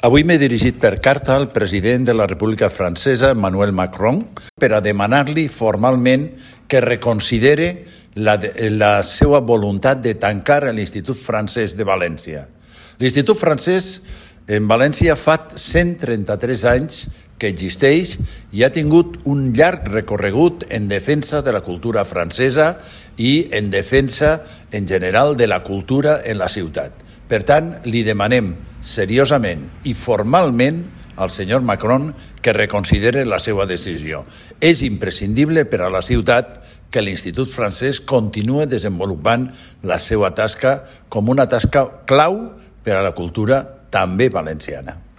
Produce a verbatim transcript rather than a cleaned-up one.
Avui m'he dirigit per carta al president de la República Francesa, Emmanuel Macron, per a demanar-li formalment que reconsidere la, la seva voluntat de tancar l'Institut Francès de València. L'Institut Francès en València fa cent trenta-tres anys que existeix i ha tingut un llarg recorregut en defensa de la cultura francesa i en defensa en general de la cultura en la ciutat. Per tant, li demanem seriosament i formalment al senyor Macron que reconsidere la seva decisió. És imprescindible per a la ciutat que l'Institut Francès continue desenvolupant la seva tasca com una tasca clau per a la cultura també valenciana.